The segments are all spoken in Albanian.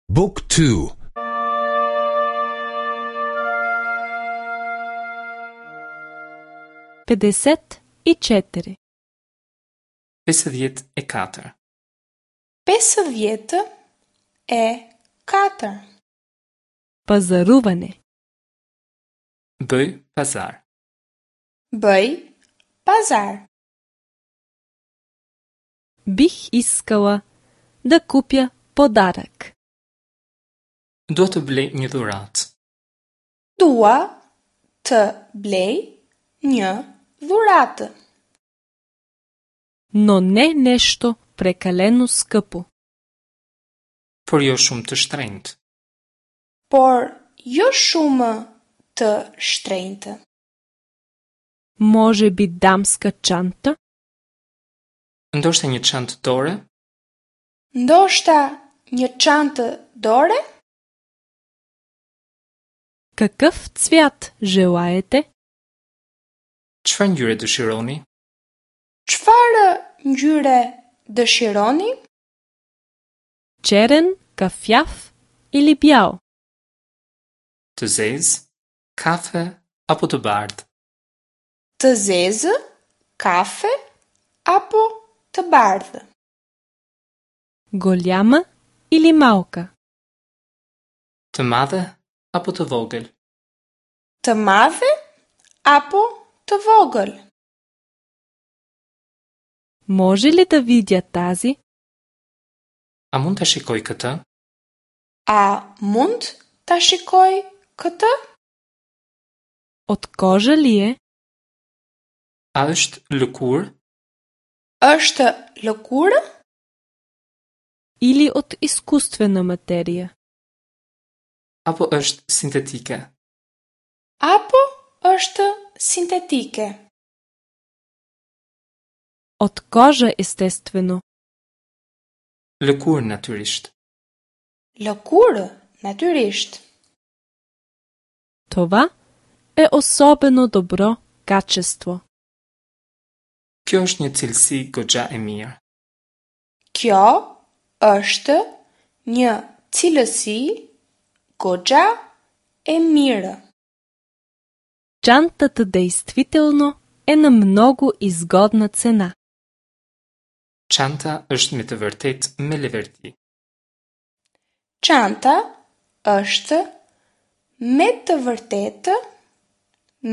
Book 2 54. 54. 54. Pazarуване. Bëj pazar. Bëj pazar. Бих искала да купя подарък. Dua të blej një dhuratë. Dua të blej një dhuratë. Но не нещо прекалено скъпо. Por jo shumë të shtrenjtë. Por jo shumë të shtrenjtë. Може би дамска чанта? Ndoshta një çantë dore? Ndoshta një çantë dore? Какъв цвят желаете? Çfarë ngjyre dëshironi? Çfarë ngjyre dëshironi? Черен, кафяв или бял? Të zezë, kafe apo të bardhë? Të zezë, kafe apo të bardhë? Голяма или малка? Të madhe apo të vogël? Të madhe apo të vogël? Може ли да видя тази? A mund ta shikoj këtë? A mund ta shikoj këtë? От кожа ли е? A është lëkurë? Është lëkurë Или от изкуствена материя? Apo është sintetike? apo është sintetike? От кожа, естествено. Lëkurë natyrisht. Lëkurë, natyrisht. Това е особено добро качество. Kjo është një cilësi goxha e mirë. Kjo është një cilësi goxha e mirë. Чантата действително е на много изгодна цена. Çanta është me të vërtetë me leverdi. Çanta është me të vërtetë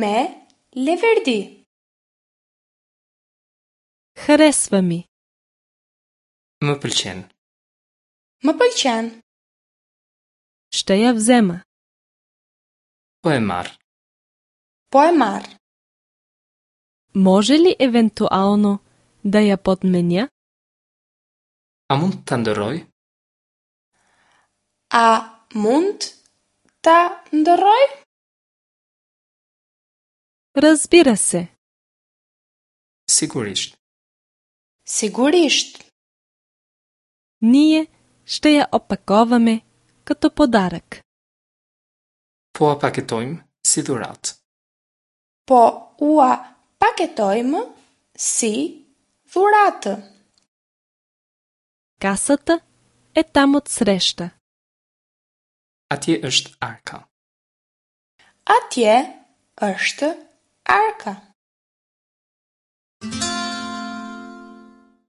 me leverdi. Харесва ми. Më pëlqen. Më pëlqen. Ще я взема. Po e marr. Po e marr. Може ли евентуално да я подменя? A mund ta ndërroj? A mund ta ndërroj? Разбира се. Sigurisht. Sigurisht. Ние ще я опаковаме като подарък. Po a paketojmë si dhuratë. Po ua paketojmë si dhuratë. Касата е там отсреща. Atje është arka. Atje është arka.